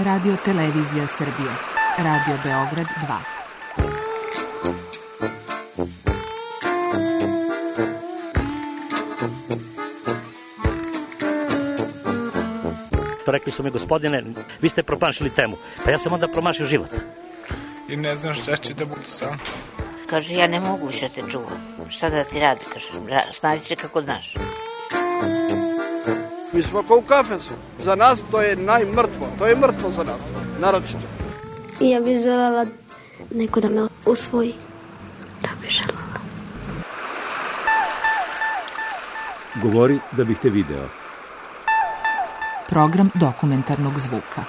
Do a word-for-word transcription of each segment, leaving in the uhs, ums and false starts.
Radio Televizija Srbije, Radio Beograd dva. Rekli su mi, gospodine, vi ste promašili temu. Pa ja sam onda promašio život. I ne znam šta će da budu sam. Kaže, ja ne mogu više te čuvam. Šta da ti radi, kaže, snađi se kako znaš. Mi smo kao u kafesu. Za nas to je najmrtvo. To je mrtvo za nas, naročito. I ja bih želela neko da me usvoji. Da bih želela. Govori da bih te video. Program dokumentarnog zvuka.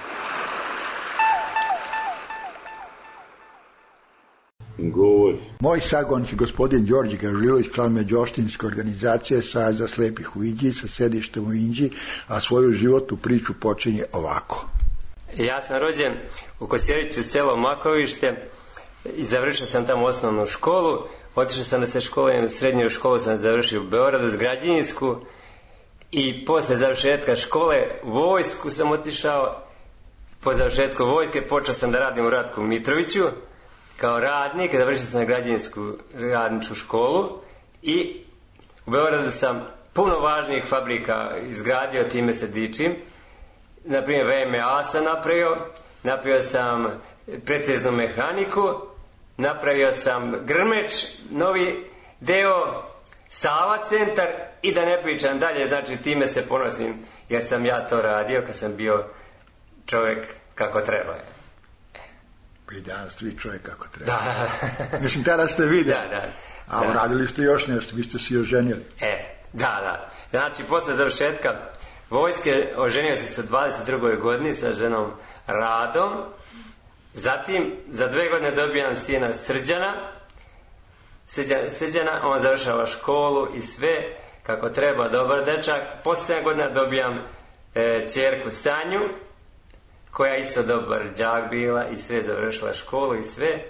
Govori. Moj sagovornik, gospodin Đorđe Gažilović, član Međuopštinske organizacije Saveza slepih u Inđiji sa sedištem u Inđiji, a svoju životnu priču počinje ovako. Ja sam rođen u Kosjeriću, selo Makovište, i završio sam tamo osnovnu školu. Otišao sam da se školujem, srednju školu sam završio u Beogradu, Građevinsku, i posle završetka škole u vojsku sam otišao. Po završetku vojske počeo sam da radim u Ratku Mitroviću kao radnik, završio sam na građevinsku radničku školu i u Beogradu sam puno važnijih fabrika izgradio, time se dičim. Naprimjer, V M A sam napravio, napravio sam preciznu mehaniku, napravio sam Grmeč, novi deo, Sava centar, i da ne pričam dalje, znači time se ponosim jer sam ja to radio kad sam bio čovjek kako treba. Pa i danas vi čovjek kako treba. Da. Mislim, tada ste vidjeli. Da, da. A da. Uradili ste još nešto, vi ste se oženili. E, da, da. Znači, posle završetka vojske oženio se sa dvadeset drugoj godini sa ženom Radom. Zatim, za dve godine dobijam sina Srđana. Srđana, Srđana, on završava školu i sve kako treba, dobar dečak. Posle sedam godina dobijam e, ćerku Sanju, koja isto dobar đak bila i sve, završila školu i sve.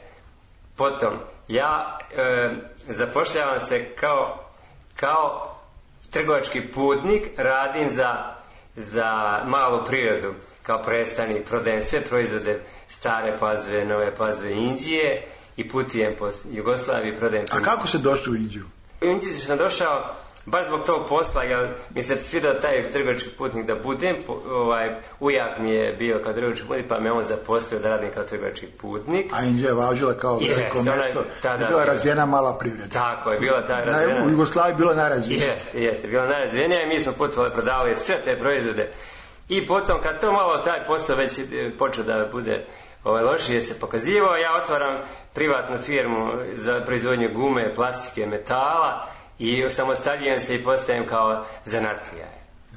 Potom, ja e, zapošljavam se kao, kao trgovački putnik, radim za, za malu prirodu, kao predstavnik, prodajem sve proizvode, stare Pazove, nove Pazove, Inđije, i putujem po Jugoslaviji, prodajem. A kako se došli u Inđiju? U Inđiju sam došao baš zbog tog posla, jer mi se svidao taj trgovački putnik da budem. Ovaj, ujak mi je bio kao trgovački putnik, pa me on zaposlio da radim kao trgovački putnik. A Inđija je važila kao veliko mesto. Je bila razvijena mala privreda. Tako je, bila ta razvijena. U Jugoslaviji bila najrazvijenija. Jeste, jeste, bila najrazvijenija i mi smo putovali, prodavali sve te proizvode. I potom, kad to malo taj posao već počeo da bude ovaj, lošije se pokazivao, ja otvaram privatnu firmu za proizvodnju gume, plastike, metala i samostaljujem se i postajem kao zanatlija.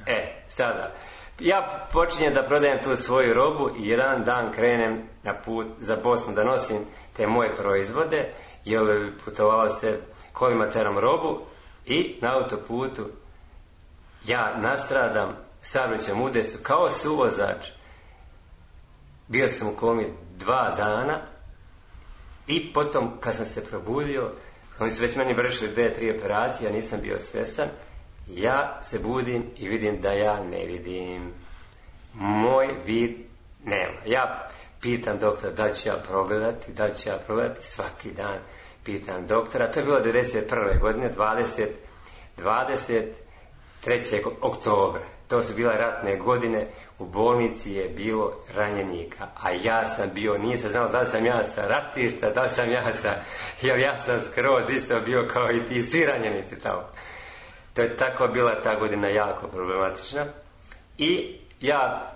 E, sada, ja počinjem da prodajem tu svoju robu i jedan dan krenem na put za Bosnu da nosim te moje proizvode, jer putovalo se kolima terom robu i na autoputu ja nastradam saobraćajnom udesu kao suvozač. Bio sam u komi dva dana i potom kad sam se probudio, oni su već meni vršili dve, tri operacije, ja nisam bio svjestan, ja se budim i vidim da ja ne vidim. Moj vid nema. Ja pitam doktora da ću ja progledati, da ću ja progledati, svaki dan pitam doktora. To je bilo devedeset prve godine, dvadeset trećeg oktobra. To su bile ratne godine, u bolnici je bilo ranjenika, a ja sam bio, nije se znao da li sam ja sa ratišta, da li sam ja sa, jer ja sam skroz isto bio kao i ti, svi ranjenici tamo. To je tako bila ta godina jako problematična. I ja,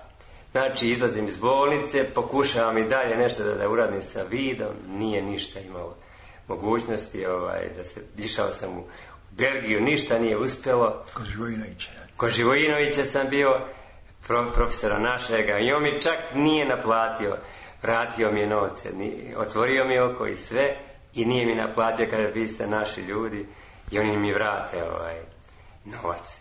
znači, izlazim iz bolnice, pokušavam i dalje nešto da, da uradim sa vidom, nije ništa imalo mogućnosti, ovaj, da se, išao sam u Belgiju, ništa nije uspjelo. Kod Živojinovića. Kod Živojinovića sam bio, pro, profesora našega, i on mi čak nije naplatio, vratio mi je novce, otvorio mi oko i sve, i nije mi naplatio, kaže, vi ste naši ljudi, i oni mi vrate ovaj novac.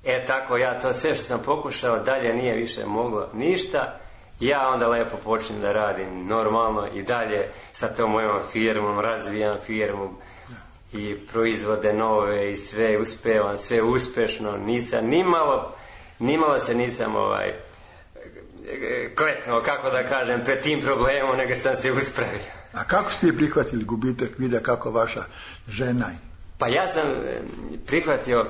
E tako, ja to sve što sam pokušao, dalje nije više moglo ništa, ja onda lepo počnem da radim normalno i dalje sa tom mojom firmom, razvijam firmu i proizvode nove i sve uspevam, sve uspešno, nisam nimalo, nimalo se nisam ovaj, kleknuo, kako da kažem, pred tim problemom, nego sam se uspravio. A kako ste prihvatili gubitak vida kako vaša žena? Pa ja sam prihvatio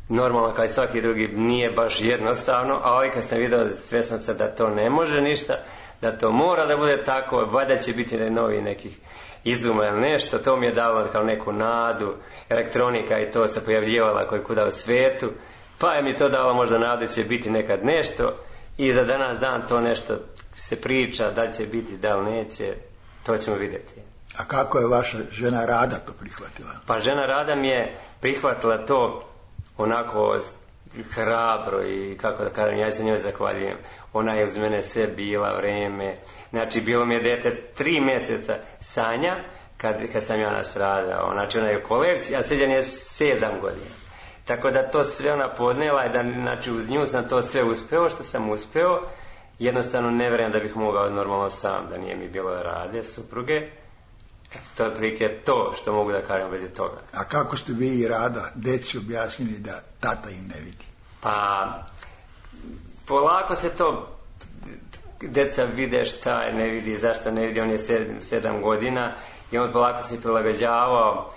normalno kao i svaki drugi, nije baš jednostavno, ali kad sam vidio, svjestan sam da to ne može ništa, da to mora da bude tako, valjda će biti novi nekih izuma ili nešto, to mi je dalo kao neku nadu, elektronika i to se pojavljivala koji kuda u svijetu, pa je mi to dalo možda nadu će biti nekad nešto i za danas dan to nešto se priča, da li će biti, da li neće, to ćemo vidjeti. A kako je vaša žena Rada to prihvatila? Pa žena Rada mi je prihvatila to onako hrabro i kako da kažem, ja se njoj zahvaljujem. Ona je uz mene sve bila, vreme. Znači, bilo mi je dete tri mjeseca Sanja kad, kad sam ja nastradao. Znači, ona je u kolekciji, a Srđan je sedam godina. Tako da to sve ona podnijela i da, znači, uz nju sam to sve uspeo što sam uspeo. Jednostavno ne vjerujem da bih mogao normalno sam, da nije mi bilo Rade, supruge. Eto, to je prilike to što mogu da kažem bez toga. A kako ste vi i Rada deci objasnili da tata im ne vidi? Pa, polako se to deca vide šta je, ne vidi, zašto ne vidi, on je sedam, sedam godina i on polako se prilagođavao,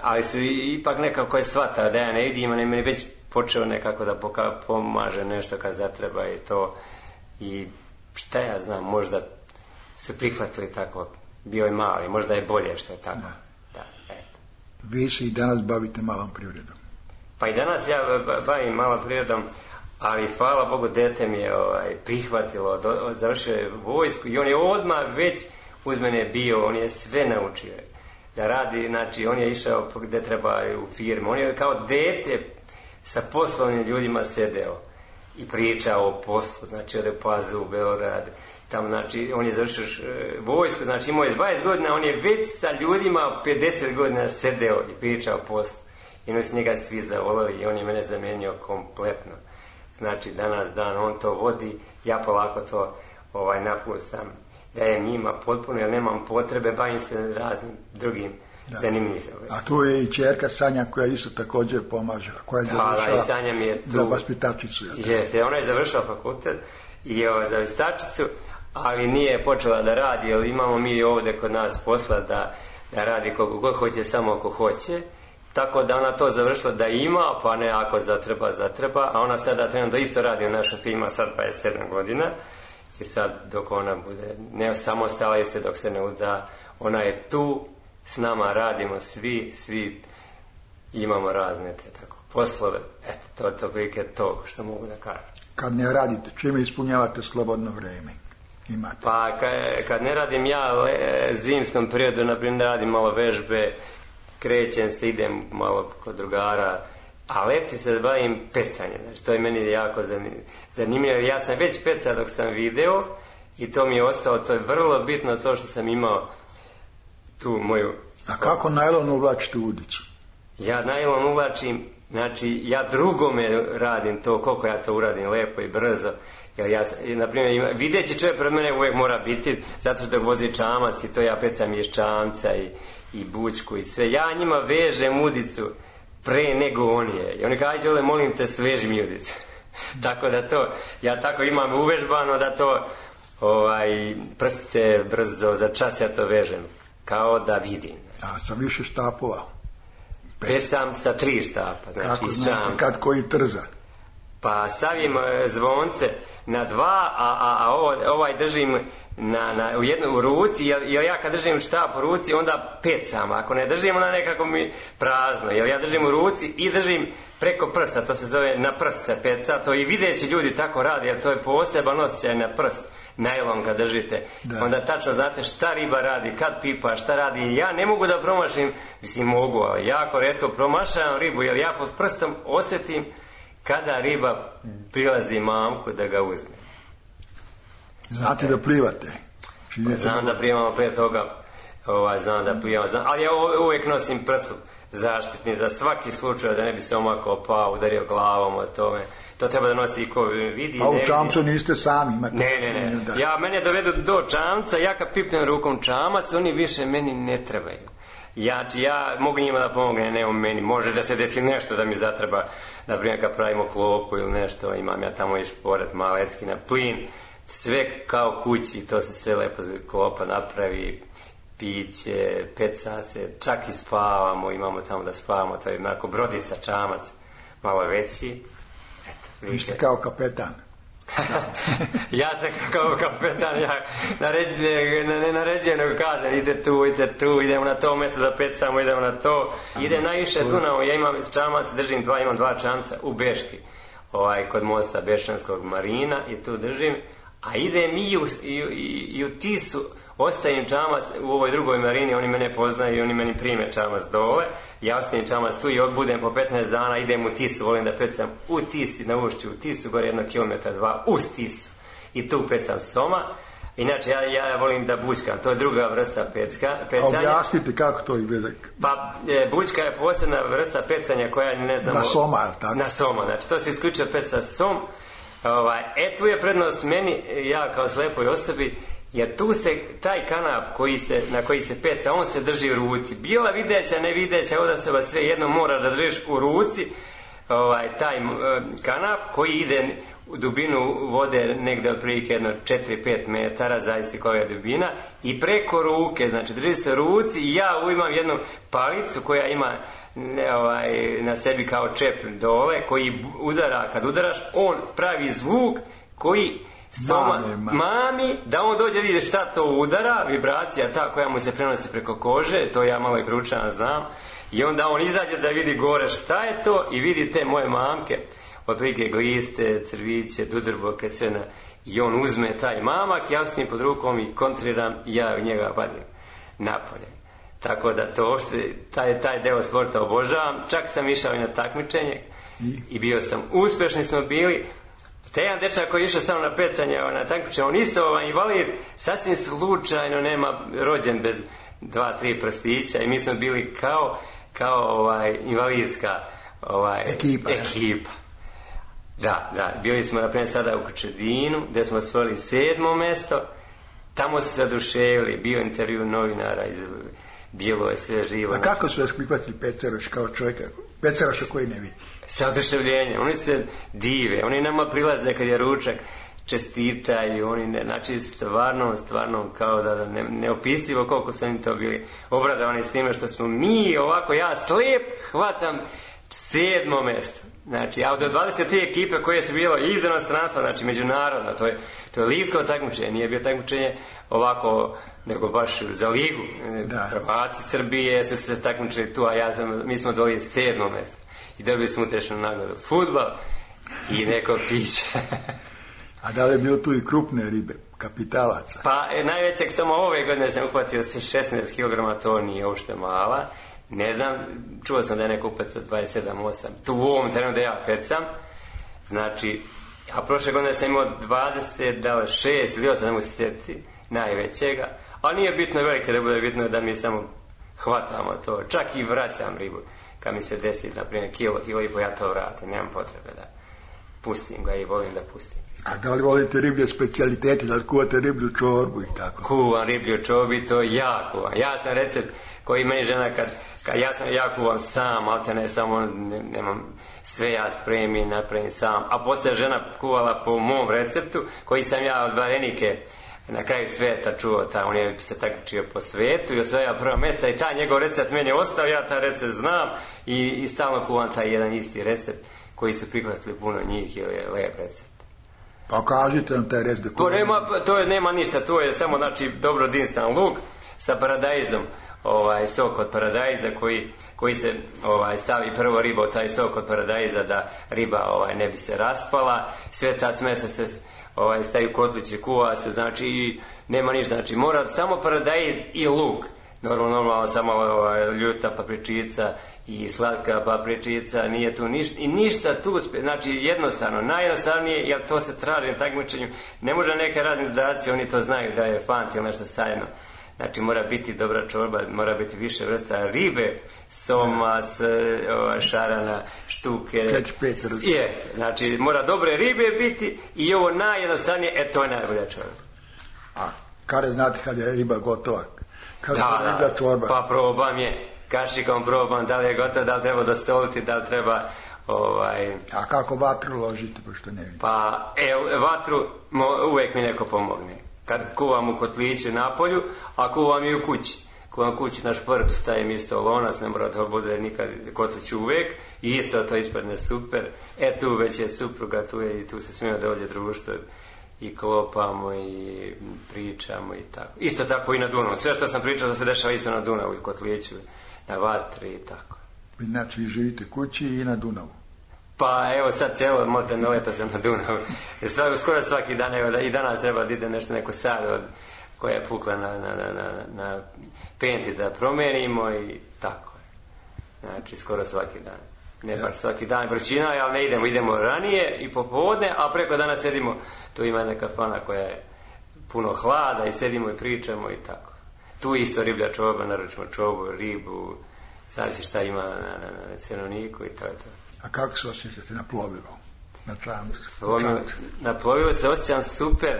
ali su ipak nekako je shvatao da ja ne vidim, on je meni već počeo nekako da poka, pomaže nešto kad zatreba i to i šta ja znam, možda su prihvatili tako. Bio je mali, možda je bolje što je tako. Da. Da, eto. Vi se i danas bavite malom privredom. Pa i danas ja bavim malom privredom, ali hvala Bogu dete mi je ovaj, prihvatilo, do, završio je vojsku i on je odmah već uz mene bio, on je sve naučio da radi, znači on je išao gde treba u firmu, on je kao dete sa poslovnim ljudima sedeo i pričao o poslu, znači ode Pazu u Beograd, tamo, znači, on je završio vojsku, znači imao je dvadeset godina, on je već sa ljudima pedeset godina sedeo i pričao poslu. I oni su njega svi zavolali i on je mene zamenio kompletno. Znači, danas dan on to vodi, ja polako to ovaj, napustam, dajem njima potpuno, jer nemam potrebe, bavim se raznim drugim zanimljivim. A tu je i čerka Sanja koja isto također pomaže, koja je završila za vaspitačicu. Jeste, ona je završila fakultet i je za vaspitačicu, ali nije počela da radi, jer imamo mi ovdje kod nas posla da, da radi koliko god hoće, samo ako hoće, tako da ona to završila da ima, pa ne ako zatreba, zatreba, a ona sada trenutno isto radi u našoj firmi, sad dvadeset sedam godina i sad dok ona bude, ne samostala i se dok se ne uda, ona je tu, s nama radimo svi, svi imamo razne te tako poslove, eto, to je to prilike to što mogu da kažem. Kad ne radite, čime ispunjavate slobodno vrijeme? Imate. Pa kad, kad ne radim ja le, zimskom periodu, naprimjer radim malo vežbe, krećem se, idem malo kod drugara, a leti se bavim pecanjem, znači to je meni jako zanimljivo, ja sam već pecao dok sam video i to mi je ostalo, to je vrlo bitno to što sam imao tu moju... A kako najlon uvlačite u udicu? Ja najlon uvlačim, znači ja drugome radim to, koliko ja to uradim lepo i brzo. Jer ja, na primjer, videći čovjek pred mene uvijek mora biti, zato što vozi čamac i to ja pecam iz čamca i, i bućku i sve. Ja njima vežem udicu pre nego on je. I oni kaže, ajde, ole, molim te, sveži mi udicu. Tako da to, ja tako imam uvežbano da to, ovaj, prste brzo, za čas ja to vežem. Kao da vidim. A sa više štapova? Pecam sa tri štapa, znači kako iz znate, čamca. kad koji trza? Pa stavim zvonce na dva, a, a, a ovo, ovaj držim na, na, u jednu u ruci, jer, jer ja kad držim štap u ruci, onda pecam. Ako ne držim, onda nekako mi prazno. Jer ja držim u ruci i držim preko prsta, to se zove na prst se peca. To i videći ljudi tako rade, jer to je poseban osjećaj na prst. Najlon kad držite, da. Onda tačno znate šta riba radi, kad pipa, šta radi. Ja ne mogu da promašim, mislim mogu, ali jako retko promašavam ribu, jer ja pod prstom osjetim kada riba prilazi mamku da ga uzme. Znate da plivate? Pa znam da plivamo prije toga, ovaj, znam da plivamo, znam, ali ja uvijek nosim prstu zaštitni za svaki slučaj da ne bi se omakao, pao, udario glavom o tome. To treba da nosi i ko vidi. A u čamcu niste sami? Imate ne, ne, ne. Da. Ja, mene dovedu do čamca, ja kad pipnem rukom čamac, oni više meni ne trebaju. Ja, ja mogu njima da pomognem, ne u meni. Može da se desi nešto da mi zatreba, na primjer kad pravimo klopu ili nešto, imam ja tamo i šporet malecki na plin, sve kao kući, to se sve lepo klopa napravi, piće, peca se, čak i spavamo, imamo tamo da spavamo, to je onako brodica, čamac, malo veći. Vi ste kao kapetan. Ja sam kao kapetan, ja naređujem, ne naređujem, nego kažem, ide tu, ide tu, idemo na to mjesto da pecamo, idemo na to. Idem najviše Dunavom, ja imam čamac, držim dva, imam dva čamca u Beški, ovaj, kod mosta Bešanskog marina i tu držim, a idem i u, i, i, i u Tisu, ostavim čamac u ovoj drugoj marini, oni mene poznaju i oni meni prime čamac dole, ja ostavim čamac tu i budem po petnaest dana, idem u Tisu, volim da pecam u Tisi, na ušću u Tisu, gore jedno kilometra, dva, uz Tisu, i tu pecam soma. Inače, ja, ja volim da bućkam, to je druga vrsta pecka, pecanja. A objasnite kako to izgleda? Pa, e, bućka je posebna vrsta pecanja koja, ne znamo... Na soma, tako? Na soma, znači, to se isključuje peca som. Ovaj, e, tu je prednost meni, ja kao slepoj osobi, jer tu se, taj kanap koji se, na koji se peca, on se drži u ruci. Bila videća, ne videća, od osoba sve jedno moraš da držiš u ruci, ovaj, taj uh, kanap koji ide u dubinu vode negde otprilike jedno četiri do pet metara, zavisi koja je dubina, i preko ruke, znači drži se u ruci i ja imam jednu palicu koja ima ne, ovaj, na sebi kao čep dole, koji udara, kad udaraš, on pravi zvuk koji soma mami, mami. mami, da on dođe vidi šta to udara, vibracija ta koja mu se prenosi preko kože, to ja malo i proučavam, znam, i onda on izađe da vidi gore šta je to i vidi te moje mamke, otprilike gliste, crviće, dudrboke, sve na, i on uzme taj mamak, ja s njim pod rukom i kontriram i ja u njega vadim napolje. Tako da to uopšte, taj, taj deo sporta obožavam, čak sam išao i na takmičenje i, i bio sam, uspešni smo bili. Te jedan dečak koji je išao samo na pecanje, na takmičenje, on isto ovaj invalid, sasvim slučajno nema, rođen bez dva, tri prstića i mi smo bili kao, kao ovaj, invalidska ovaj, ekipa. ekipa. Da, da, bili smo naprimjer sada u Kočedinu, gdje smo osvojili sedmo mesto, tamo su se oduševili, bio intervju novinara, iz, bilo je sve živo. A kako su vas prihvatili Peceraš kao čovjeka, Peceraša koji ne vidi? Sa oduševljenjem, oni se dive, oni nama prilaze kad je ručak, čestitaju, oni ne, znači stvarno, stvarno kao da, da ne, neopisivo koliko su oni to bili obradovani s time što smo mi ovako, ja slijep hvatam sedmo mesto. Znači, a od dvadeset tri ekipe koje su bilo iz inostranstva, znači međunarodno, to je, to je ligsko takmičenje, nije bio takmičenje ovako, nego baš za ligu. Da. Hrvati Srbije su se takmičili tu, a ja sam, mi smo dobili sedmo mesto. I dobili smo utešnu nagradu fudbal i neko piće. A da li je bilo tu i krupne ribe, kapitalaca? Pa e, najvećeg samo ove godine sam uhvatio se šesnaest kilograma, to nije uopšte mala. Ne znam, čuo sam da je neko upec od dvadeset sedam osam. Tu u ovom terenu da ja pecam. Znači, a prošle godine sam imao dvadeset šest ili osam, ne mogu se sjetiti, najvećega. Ali nije bitno velike da bude, bitno da mi samo hvatamo to. Čak i vraćam ribu. Kad mi se desi, na primjer, kilo, kilo i po, ja to vratim. Nemam potrebe da pustim ga i volim da pustim. A da li volite riblje specijalitete, da li kuvate riblju čorbu i tako? Kuvam riblju čorbu i to ja kuvam. Ja sam recept koji meni žena kad, kad ja sam, ja kuvam sam, ali te ne samo, ne, nemam sve ja spremim, napravim sam. A poslije žena kuvala po mom receptu, koji sam ja od Varenike na kraju sveta čuo, ta, on je se takmičio po svetu i osvajao prva mjesta i taj njegov recept meni je ostao, ja taj recept znam i, i stalno kuvam taj jedan isti recept koji su prihvatili puno njih jer je lep recept. Pa kažite nam taj recept. To nema, to je, nema ništa, to je samo znači dobro dinsan luk sa paradajzom, ovaj sok od paradajza koji, koji se ovaj stavi prvo riba u taj sok od paradajza da riba ovaj ne bi se raspala, sve ta smesa se ovaj stavi u kotliće, kuva se, znači i nema ništa, znači mora samo paradajz i luk. Normalno, normalno samo ovaj, ljuta papričica i slatka papričica, nije tu ništa, i ništa tu, znači jednostavno, najjednostavnije, jer to se traži na takmičenju, ne može neke razne dodacije, oni to znaju da je fant ili nešto stajno. Znači mora biti dobra čorba, mora biti više vrsta ribe, soma, s, ova, šarana, štuke. Yes, znači mora dobre ribe biti i ovo najjednostavnije, e to je najbolja čorba. A kada znate kada je riba gotova? Kada da, da, čorba? Pa probam je, kašikom probam da li je gotova, da li treba dosoliti, da li treba Ovaj, A kako vatru ložite, pošto ne vidim? pa, e, vatru mo, uvek mi neko pomogne. Kad kuvam u kotliću na polju, a kuvam i u kući. Kuvam kući na športu, stavim isto lonac, ne mora to bude nikad kotlić uvek, i isto to ispadne super. E, tu već je supruga, tu je i tu se smijemo da ovdje društvo i klopamo i pričamo i tako. Isto tako i na Dunavu. Sve što sam pričao da se dešava isto na Dunavu i kotliću, na vatri i tako. Znači, vi živite kući i na Dunavu? Pa evo sad cijelo moderno leto sam na Dunavu. Svaki, skoro svaki dan, evo da i danas treba da ide nešto, neko sad od, koja je pukla na, na, na, na, na penti da promenimo i tako je. Znači skoro svaki dan. Ne baš svaki dan vrućina, ali ne idemo, idemo ranije i popodne, a preko dana sedimo, tu ima jedna kafana koja je puno hlada i sedimo i pričamo i tako. Tu isto riblja čoba, naručimo čobu, ribu, zavisi šta ima na, na, na cenovniku i to je to. A kako se osjećate na plovilu? Na čamcu? Na plovilu se osjećam super,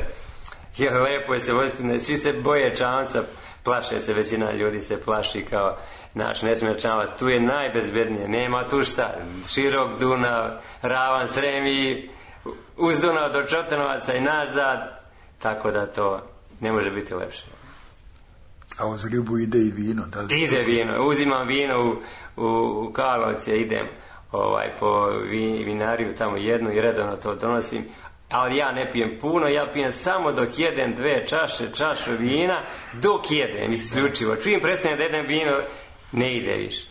jer lepo je se voziti, svi se boje čamca, plaše se, većina ljudi se plaši kao naš, ne smije čamac, tu je najbezbednije, nema tu šta, širok Dunav, ravan Srem i uz Dunav do Čotanovaca i nazad, tako da to ne može biti lepše. A uz ribu ide i vino? Da li... Ide vino, uzimam vino u, u, u Karlovce, idem ovaj, po vi, vinariju tamo jednu i redovno to donosim, ali ja ne pijem puno, ja pijem samo dok jedem dve čaše, čašu vina, dok jedem, isključivo. Čim prestanem da jedem vino, ne ide više.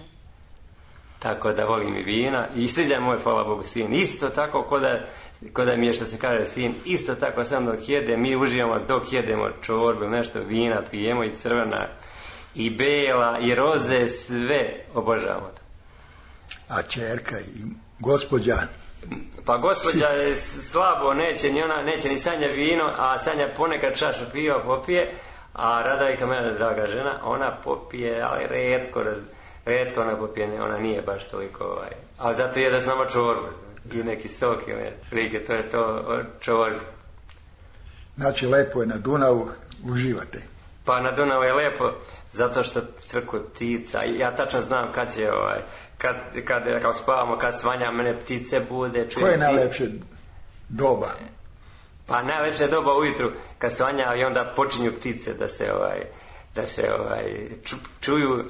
Tako da volim i vina i sviđa moj, hvala Bogu, sin. Isto tako ko da, ko da mi je što se kaže sin, isto tako sam dok jedem, mi uživamo dok jedemo čorbu, nešto vina pijemo i crvena i bela i roze, sve obožavamo to. A čerka i gospođa? Pa gospođa je slabo, neće ni ona, neće ni Sanja vino, a Sanja ponekad čašu piva popije, a Radajka, mene draga žena, ona popije, ali retko, retko ona popije, ona nije baš toliko, ovaj, ali zato je da s nama čorbu i neki sok ili like, to je to čorbu. Znači, lepo je na Dunavu, uživate? Pa na Dunavu je lepo, zato što crku ptica, ja tačno znam kad će, ovaj, kad, kad, kad spavamo, kad svanja, mene ptice bude. Koje je najlepše doba? Pa najlepše doba ujutru, kad svanja i onda počinju ptice da se, ovaj, da se ovaj, ču, čuju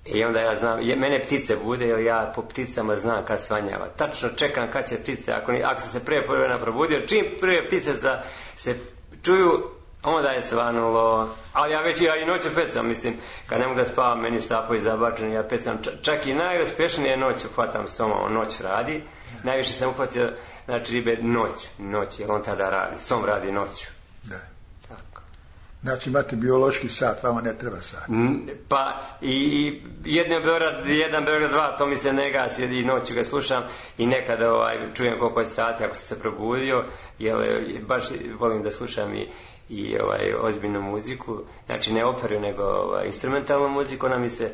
i onda ja znam, je, mene ptice bude jer ja po pticama znam kad svanjava. Tačno čekam kad će ptice, ako, ako sam se prije prve probudio, čim prije ptice za, se čuju, onda je svanulo, ali ja već ja i noću pecam, mislim, kad ne mogu da spavam, meni štapovi zabačeni, ja pecam, čak i najuspješnije noću hvatam soma, on noć radi, najviše sam uhvatio, znači ribe noć, noć, jer on tada radi, som radi noću. Da. Tako. Znači imate biološki sat, vama ne treba sat. Pa i jedan Beograd, jedan Beograd dva, to mi se ne gasi i noću ga slušam i nekada ovaj, čujem koliko je sati ako sam se probudio, jer baš volim da slušam i i ovaj, ozbiljnu muziku, znači ne operu, nego ovaj, instrumentalnu muziku, ona mi se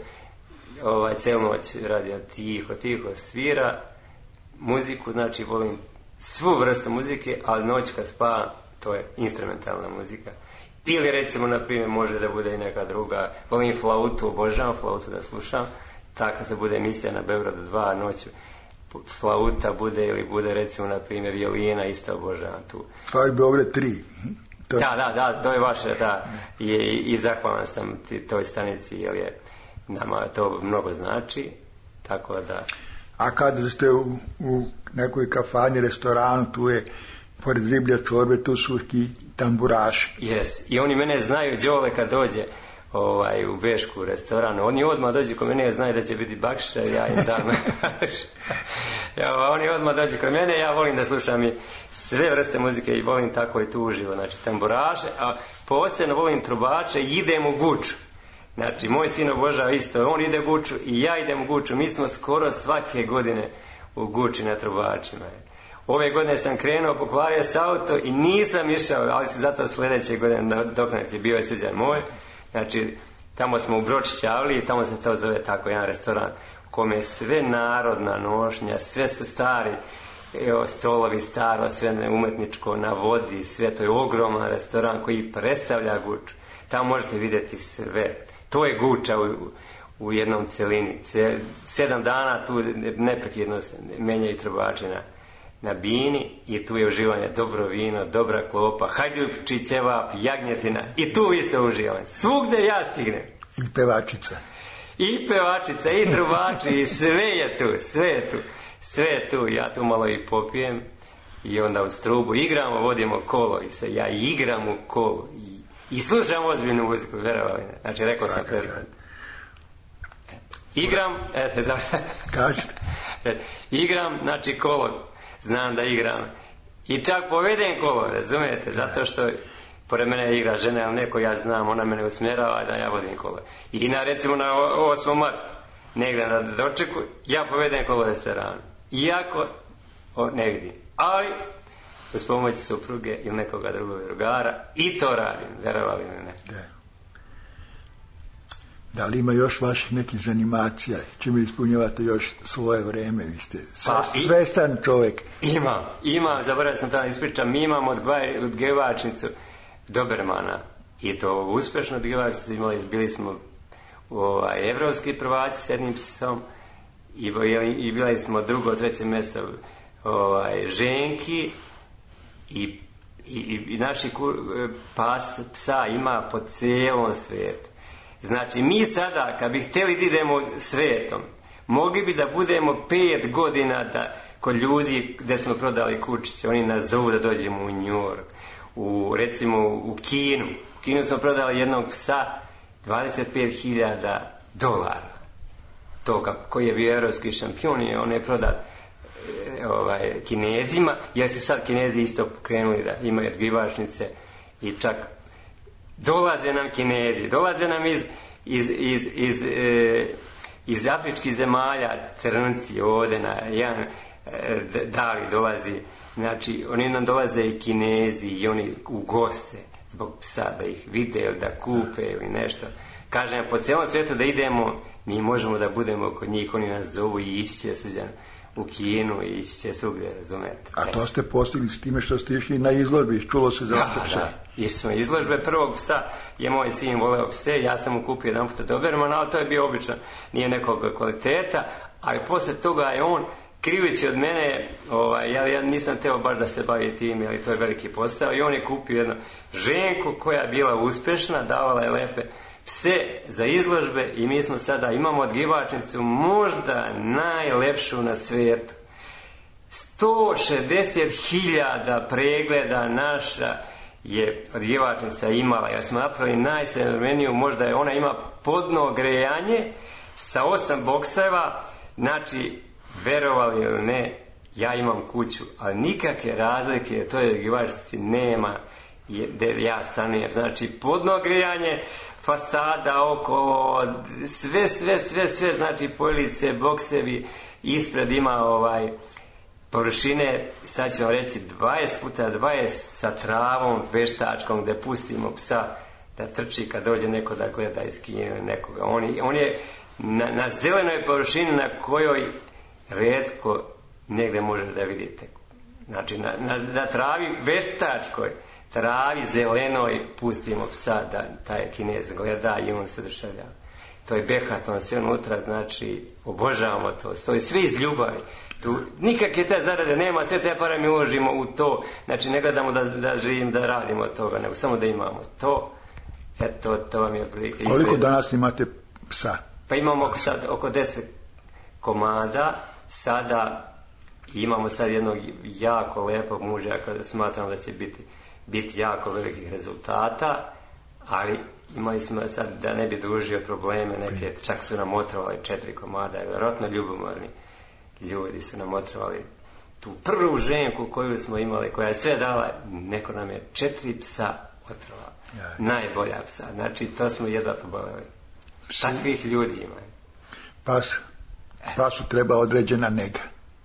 ovaj, celu noć radi tiho, tiho svira muziku, znači volim svu vrstu muzike, ali noć kad spavam, to je instrumentalna muzika. Ili recimo, na primjer, može da bude i neka druga, volim flautu, obožavam flautu da slušam, tako se bude emisija na Beogradu dva noću, flauta bude ili bude recimo, na primjer, violina, isto obožavam tu. To je Beograd tri. To... Da, da, da, to je vaše, da, i, i zahvalan sam ti, toj stanici, jer je nama to mnogo znači, tako da... A kada ste u, u nekoj kafani, restoranu, tu je, pored riblja čorbe, tu su i tamburaši. Jes, i oni mene znaju, Đole kad dođe ovaj, u Bešku restoranu, oni odmah dođu kod mene, znaju da će biti bakšiša, ja im dam. Ja, oni odmah dođu kod mene, ja volim da slušam i sve vrste muzike i volim tako i tu uživo, znači tamburaše, a posebno volim trubače i idem u Guču. Znači, moj sin obožava isto, on ide u Guču i ja idem u Guču, mi smo skoro svake godine u Guči na trubačima. Ove godine sam krenuo, pokvario s auto i nisam išao, ali se zato sljedeće godine dok je bio je Srđan moj, znači, tamo smo u Bročićavli i tamo se to zove tako jedan restoran u kome je sve narodna nošnja, sve su stari, evo, stolovi staro, sve umetničko na vodi, sve, to je ogroman restoran koji predstavlja Guču. Tamo možete vidjeti sve. To je Guča u, u jednom celini. Sedam dana tu neprekidno se menjaju trubači na, na bini i tu je uživanje dobro vino, dobra klopa, hajduči, ćevap, jagnjetina i tu isto uživanje. Svugde ja stignem. I pevačica. I pevačica, i trubači, i sve je tu, sve je tu. Sve je tu, ja tu malo i popijem i onda uz trubu igramo, vodimo kolo i se ja igram u kolu i, i slušam ozbiljnu muziku, verovali ne. Znači, rekao sam pred... Igram, eto, za... Kažete. Igram, znači kolo, znam da igram. I čak povedem kolo, razumijete, zato što pored mene igra žena ili neko, ja znam, ona mene usmjerava da ja vodim kolo. I na, recimo, na osmom martu, negdje na dočeku, ja povedem kolo restoranu. Iako o, ne vidim. Ali, uz pomoć supruge ili nekoga drugog drugara, i to radim, verovali ili ne. Da. Da li ima još vaših nekih zanimacija? Čime ispunjavate još svoje vreme? Vi ste pa, svestan čovjek. Imam, imam, zaboravio sam tamo ispričam, mi imamo odgevačnicu Dobermana. I to uspešno odgevačnicu imali, bili smo ovaj, evropski prvaci s jednim psom i, i bili smo drugo, treće mjesto ovaj, ženki i, i, i naši pas psa ima po cijelom svijetu. Znači, mi sada, kad bi htjeli da idemo svijetom, mogli bi da budemo pet godina da, kod ljudi gdje smo prodali kućice, oni nas zovu da dođemo u New York, u, recimo u Kinu. U Kinu smo prodali jednog psa dvadeset pet hiljada dolara. Toga, koji je bio evropski šampion i on je prodat e, ovaj, Kinezima, jer se sad Kinezi isto krenuli da imaju odgivačnice i čak dolaze nam Kinezi, dolaze nam iz, iz, iz, iz, e, iz afričkih zemalja, crnci ovdje na jedan e, dali dolazi, znači oni nam dolaze i Kinezi i oni u goste zbog psa da ih vide ili da kupe ili nešto. Kažem, po cijelom svijetu da idemo, mi možemo da budemo kod njih, oni nas zovu i ići će Srđan u Kinu i ići će svugdje, razumete. A to ste postigli s time što ste išli na izložbi, čulo se za da, psa. Da, išli smo izložbe prvog psa, je moj sin voleo pse, ja sam mu kupio jedan puta Dobermana, ali to je bio obično, nije nekog kvaliteta, ali posle toga je on, kriveći od mene, ovaj, ja, ja nisam teo baš da se bavi tim, jer to je veliki posao, i on je kupio jednu ženku koja je bila uspješna, davala je lepe pse za izložbe i mi smo sada, imamo odgivačnicu možda najlepšu na svijetu. sto šezdeset hiljada pregleda naša je odgivačnica imala, jer smo napravili najsavremeniju, možda je ona ima podno grejanje sa osam bokseva, znači, verovali ili ne, ja imam kuću, ali nikakve razlike toj odgivačnici nema gdje ja stanujem, znači podno grejanje, fasada okolo, sve, sve, sve, sve, znači police, boksevi, ispred ima ovaj površine, sad ću vam reći dvadeset puta dvadeset sa travom veštačkom gdje pustimo psa da trči kad dođe neko da gleda iz Kine nekoga. On je, on je na, na zelenoj površini na kojoj retko negdje možete da vidite. Znači na, na, na travi veštačkoj, travi zelenoj pustimo psa da taj Kinez gleda i on se oduševljava. To je behaton, sve unutra, znači obožavamo to, to je sve iz ljubavi. Tu nikakve te zarade nema, sve te pare mi uložimo u to, znači ne gledamo da, da živim, da radimo od toga, nego samo da imamo to. Eto, to vam je otprilike. Koliko danas imate psa? Pa imamo sad oko deset komada, sada imamo sad jednog jako lepog muža, kada smatramo da će biti, biti jako velikih rezultata, ali imali smo sad, da ne bi dužio probleme, neke, čak su nam otrovali četiri komada, vjerojatno ljubomorni ljudi su nam otrovali tu prvu ženku koju smo imali, koja je sve dala, neko nam je četiri psa otrova, najbolja psa, znači to smo jedva poboleli. Takvih ljudi imaju. Pas, pasu treba određena nega.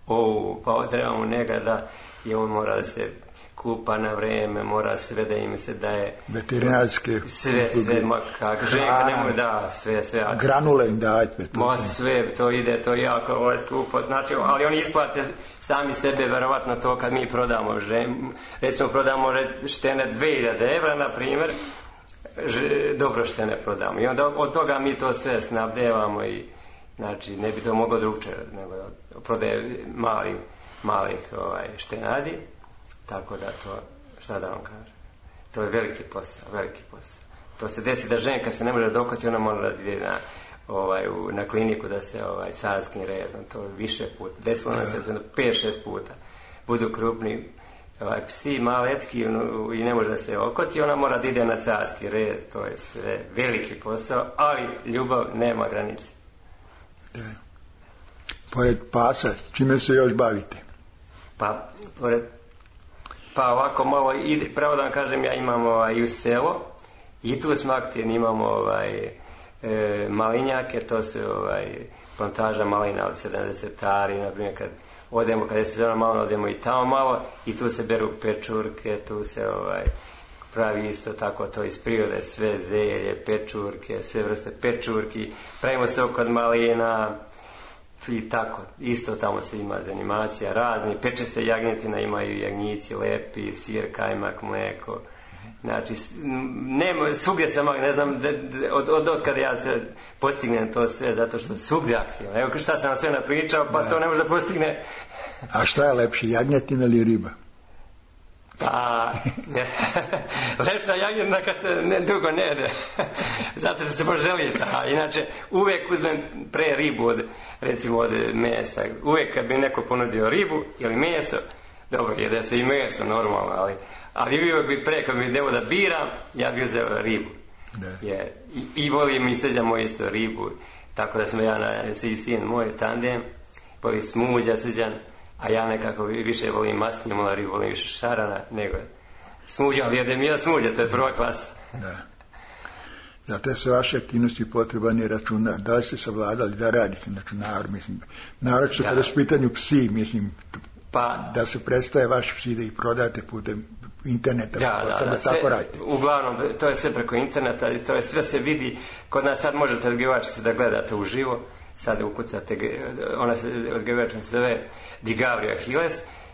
O, pa treba mu nega da i on mora da se kupa na vreme, mora sve da im se daje veterinarske sve, sve, makak, ženka nemoj da, sve, sve. Granule im dajte. Ma sve, to ide, to jako ovo je skupo, znači, ali oni isplate sami sebe, verovatno to kad mi prodamo žen, recimo prodamo štene dve hiljade evra, na primjer, ž, dobro što ne prodamo. I onda od toga mi to sve snabdevamo i znači ne bi to moglo drugčije nego prodaje malih, malih ovaj, štenadi, tako da to, šta da vam kažem, to je veliki posao, veliki posao. To se desi da ženka se ne može dokoti, ona mora da ide na, ovaj, u, na kliniku da se ovaj, carskim rezom, to više puta, desilo nam se pet šest puta, budu krupni ovaj, psi malecki i ne može da se okoti, ona mora da ide na carski rez, to je sve veliki posao, ali ljubav nema granice. Da. Pored pasa, čime se još bavite? Pa, pored, pa ovako malo, ide, pravo da vam kažem, ja imam ovaj, i u selo, i tu smo aktivni, imamo ovaj, e, malinjake, to su ovaj, plantaža malina od sedamdeset ari, na primjer kad odemo, kad je sezona malo, odemo i tamo malo, i tu se beru pečurke, tu se ovaj, pravi isto tako to iz prirode, sve zelje, pečurke, sve vrste pečurki, pravimo se oko malina i tako, isto tamo se ima zanimacija razni, peče se jagnjetina, imaju jagnjići lepi, sir, kajmak, mleko, znači nema, svugdje sam, ne znam de, de, od, od, od kada ja se postignem to sve, zato što svugdje aktivno, evo šta sam vam sve napričao, pa da. To ne može da postigne. A šta je lepše, jagnjetina ili riba? Pa, lepša jagnjetina kad se ne, dugo ne jede, zato što se poželi. A inače, uvijek uzmem pre ribu od, recimo od mesa. Uvijek kad bi neko ponudio ribu ili meso, dobro, jede se i meso normalno, ali, ali uvijek bi pre, kad bi devo da biram, ja bi uzeo ribu. Je, i, I volim i srđamo isto ribu, tako da smo ja na, i sin moj tandem, voli smuđa srđan, a ja nekako više volim masnije, malo ribu, volim više šarana nego smuđa, ali jedem ja smuđa, to je prva klasa. Da. Za te sve vaše aktivnosti potreban je računar. Da li ste savladali da radite na računaru, mislim, naročito kada su pitanju psi, mislim, pa, da se predstaje vaši psi, da ih prodate putem interneta, da, da, da, tako sve, radite. Uglavnom, to je sve preko interneta, to je sve se vidi, kod nas sad možete odgivačice da gledate uživo, sad ukucate, ona se odgivačica se zove Digavrio Achilles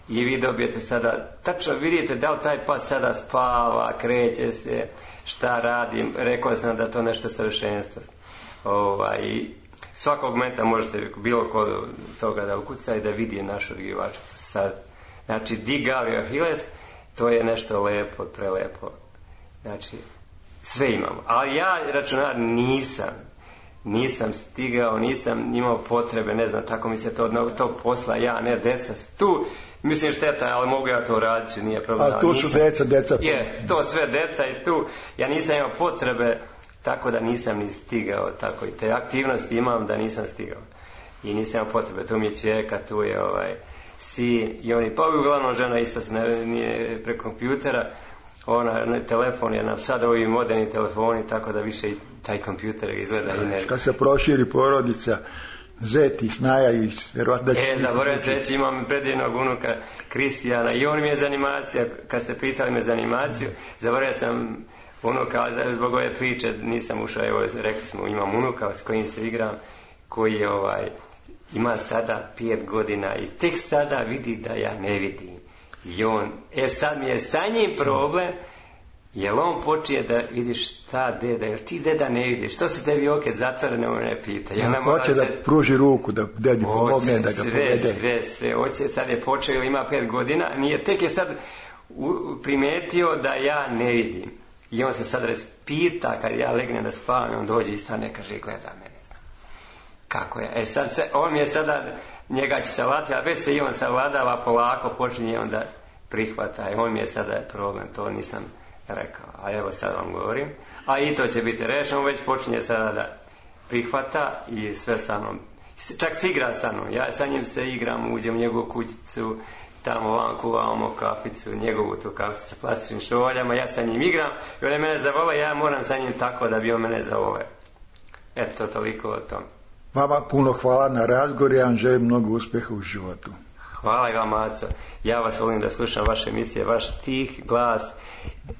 i vi dobijete sada, tačno vidite da li taj pas sada spava, kreće se, šta radim, rekao sam da to nešto savršenstvo. Ovaj, svakog momenta možete bilo kod toga da ukuca i da vidi našu odgivačicu sad. Znači, Digavrio Achilles, to je nešto lepo, prelepo. Znači, sve imamo. Ali ja, računar, nisam. Nisam stigao, nisam imao potrebe, ne znam, tako mi se to od tog posla, ja, ne, deca tu, mislim šteta, ali mogu ja to raditi, nije problem. A tu su nisam, deca, deca. Jest, to sve deca i tu, ja nisam imao potrebe, tako da nisam ni stigao, tako i te aktivnosti imam da nisam stigao. I nisam imao potrebe, tu mi je čeka, tu je ovaj, sin, i oni, pa uglavnom žena isto se ne, nije preko kompjutera, ona, ne, telefon je nam sad ovi moderni telefoni, tako da više i taj kompjuter izgleda i ne... Kad se proširi porodica, zet i snaja i vjerovatno... E, zaboravim se reći, imam predivnog unuka Kristijana i on mi je za animacija, kad ste pitali me za animaciju, zaboravio sam unuka, zbog ove priče nisam ušao, evo, rekli smo, imam unuka s kojim se igram, koji je ovaj, ima sada pet godina i tek sada vidi da ja ne vidim. I on, e sad mi je sa njim problem, jel on počije da vidiš šta deda, jer ti deda ne vidiš, što se tebi oke zatvorene, on ne pita. Ja, ja hoće da se... pruži ruku, da dedi pomogne, da ga sve, povede. Sve, sve, hoće, sad je počeo, ima pet godina, nije, tek je sad u, primetio da ja ne vidim. I on se sad raspita, kad ja legnem da spavam, on dođe i stane, kaže, gleda mene. Kako je? E sad, se, on mi je sada, njega će savladati, a već se i on savladava, polako počinje on da prihvata. I on mi je sada problem, to nisam rekao. A evo sad vam govorim. A i to će biti rešeno, već počinje sada da prihvata i sve sa mnom. Čak se igra sa mnom. Ja sa njim se igram, uđem u njegovu kućicu, tamo vam kuvamo kaficu, njegovu tu kaficu sa plastičnim šoljama, ja sa njim igram i on je mene zavole, ja moram sa njim tako da bi on mene zavole. Eto, toliko o tom. Vama puno hvala na razgovor, ja vam želim mnogo uspjeha u životu. Hvala i vam, Maco. Ja vas volim da slušam vaše emisije, vaš tih glas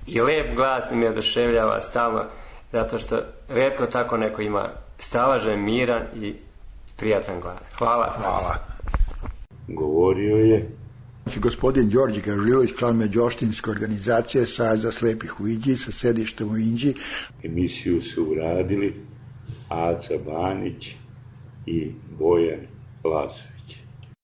i lep glas mi me oduševljava stalno, zato što retko tako neko ima stalažen, miran i prijatan glas. Hvala. Hvala. Govorio je i gospodin Đorđe Gažilović, član Međoštinske organizacije Saveza slepih u Inđiji sa sedištem u Inđiji. Emisiju su uradili Aca Banić i Bojan Lazović.